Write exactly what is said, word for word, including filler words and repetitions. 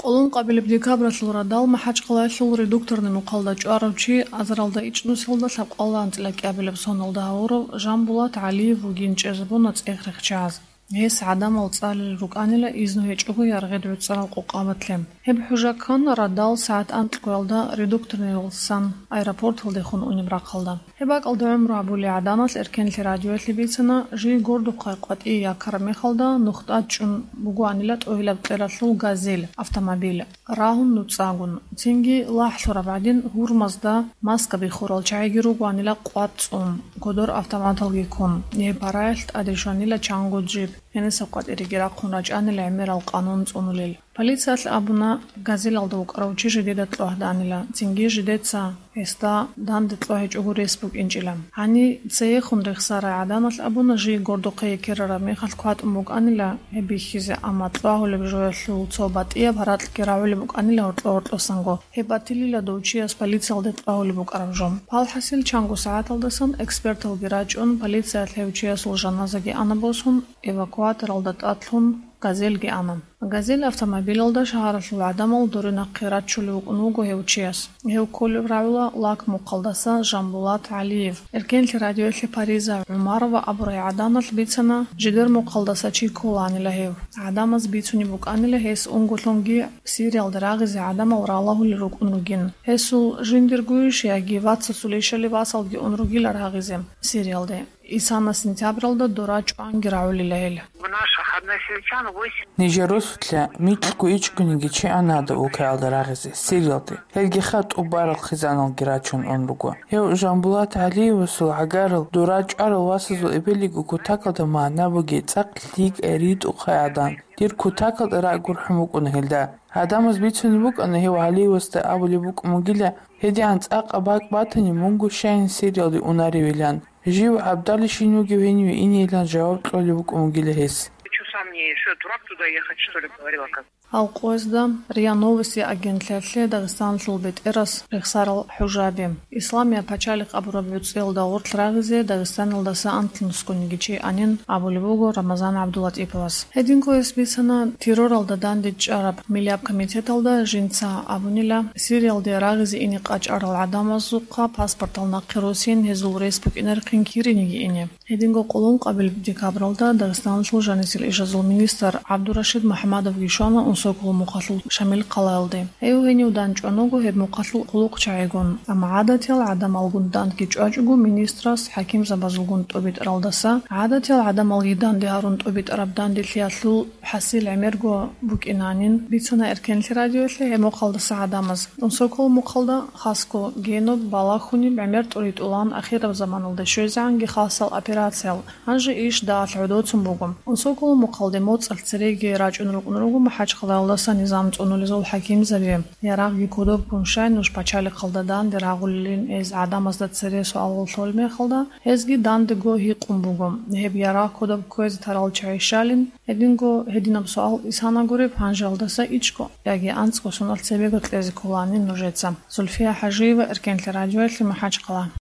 Къоло ункъабилеб декабралъул радал МахӀачхъалаялъул редукторный мухъалда чӀварав чи азаралда ичӀнусиялда лъабкъоялда анцӀила кӀиабилеб соналда гьавурав Жамбулат ГӀалиев вугин чӀезабуна цӀех рехчаз. Гьес гӀадамал цӀалел рукӀанила изну гьечӀого яргъид гӀуцӀарал къокъабатлъи. Гьеб хӀужа ккана радал сагӀат анкьгоялда редукторныйялдасан аэропорталдехун унеб рахъалда. Гьеб бакӀалда гӀумру гьабулей гӀадамалъ Эркенлъи радиоялъе бицана, жий гордухъе къватӀие яккараб мехалда нух тӀад чӀун бугоанила тӀогьилаб кьералъул «Газель» автомобиль, рагьун нуцӀагун. Цинги, лагълъураб гӀадин, гьурмазда маска биххурал чагӀиги ругоанила къватӀ цӀун, кодор автоматалги ккун. Гьеб параялъ тӀаде щванила чанго джип, гьениса къватӀиреги рахъун рачӀанила гӀемерал къанун цӀунулел. Полициялъ абуна, «Газелалда» вукӀарав чи жидеда кьогьаданила, цинги жидеца гьесда данде кьогьечӀого рес букӀинчӀила. Гьаниб цеехун рехсарай гӀадамалъ абуна, жий гордухъе ккерараб мехалъ кватӀун букӀанила гьеб бихьизе, амма кьогьулеб жоялъул цо батӀияб гьаракьги рагӀулеб букӀанила гьоркьо-гьоркьосанго, гьеб батилила дов чияс полициялде кьогьулеб букӀараб жо. ПалхӀасил, чанго сагӀаталдасан эксперталги рачӀун, полициялъ гьев чиясул жаназаги ана босун, эвакуаторалда тӀад лъун, «Газельги» ана. «Газель» автомобилалда шагьаралъул гӀадамал доре нахъе раччулев вукӀун вуго гьев чияс. Гьев кколеб рагӀула Лак мухъалдаса Жамбулат ГӀалиев. Эркенлъи радиоялъе Париза ГӀумарова абурай гӀадамалъ бицана, жидер мухъалдаса чи кколаанила гьев. ГӀадамаз бицунеб букӀанила гьес унгулъунги Сириялде рагъизе гӀадамал ралагьулел рукӀун ругин. Гьесул жиндиргойищ яги вацасулищали васалги ун ругила рагъизе Сириялде. Исана сентябралда дора чӀванги рагӀулила гьел. У наших односельчан восемь. Нижер росулъа микьго ичӀгониги чи ана гьадаб улкаялда рагъизе, Сириялде. Гьелги хатӀубарал хъизаналги рачун ун руго. Гьев Жамбулат ГӀалиевасул гӀагарал, дора чӀварал васазул эбелиго кутакалда магӀна бугей цӀакъ лъикӀай ритӀухъай гӀадан. Дир кутакалда ракӀ гурхӀун букӀуна гьелда. Гьадамаз бицунеб букӀана гьев ГӀалиевасда абулеб букӀун бугила, гьедигӀан цӀакъаб бакӀ батани, мунго щайин Сириялде унаревилан. Жив гӀабдалищин вугев гьениве инейилан жаваб кьолеб букӀун бугила гьес. Чё сам не, что, дурак туда ехать, что ли, говорила как? Гьал къоязда РИА Новости агентлъиялъе Дагъистаналъул бетӀерас рехсарал хӀужаби. Исламия пачалихъ абураб гӀуцӀиялда гъорлъ рагъизе Дагъистаналдаса анлънусгониги чи анин абулеб буго Рамазан ГӀабдулатӀиповас. Гьединго гьес бицана терроралда дандечӀараб миллияб комитеталда жинца абунила, Сириялде рагъизе ине къачӀарал гӀадамазухъа паспортал нахъе росин гьезул рес букӀинарехъин кириниги ине. Гьединго къоло ункъабилеб декабралда Дагъистаналъул жанисел ишазул министр ГӀабдурашид МухӀаммадовги щвана Унсоколо мухъалъул Шамил хъалаялде. Гьев гьенив дандчӀван вуго гьеб мухъалъул хъулухъчагӀигун, амма гӀадатиял гӀадамалгун дандги чӀвачӀого министрас хӀакимзабазулгун тӀобитӀаралдаса, гӀадатиял гӀадамалги данде гьарун тӀобитӀараб данделъиялъул хӀасил гӀемерго букӀинанин бицана Эркенлъи радиоялъе гьеб мухъалдаса гӀадамаз. Унсоколо мухъалда хасго геноб балагьунеб гӀемер тӀуритӀулан ахираб заманалда щвезегӀанги хасал операциял, гьанже иш дагьалъ гӀодоцун буго. Унсоколо мухъалде моцӀалъ цереги рачӀун рукӀун руго МахӀачхъалаялдаса низам цӀунулезул хӀакимзаби. Ярагъги кодоб ккун щай нуж пачалихъалда данде рагъулелин эз гӀадамазда цере суалал лъолеб мехалда, гьезги дандего гьикъун буго, гьеб ярагъ кодоб кквезе тарал чагӀи щалин. Гьединго гьединаб суал исана гуреб гьанжеялдаса ичӀго, яги анцӀго соналъ цебего кьезе кколаанин нужеца. Зульфия ХӀажиева, Эркенлъи радиоялъе, МахӀачхъала.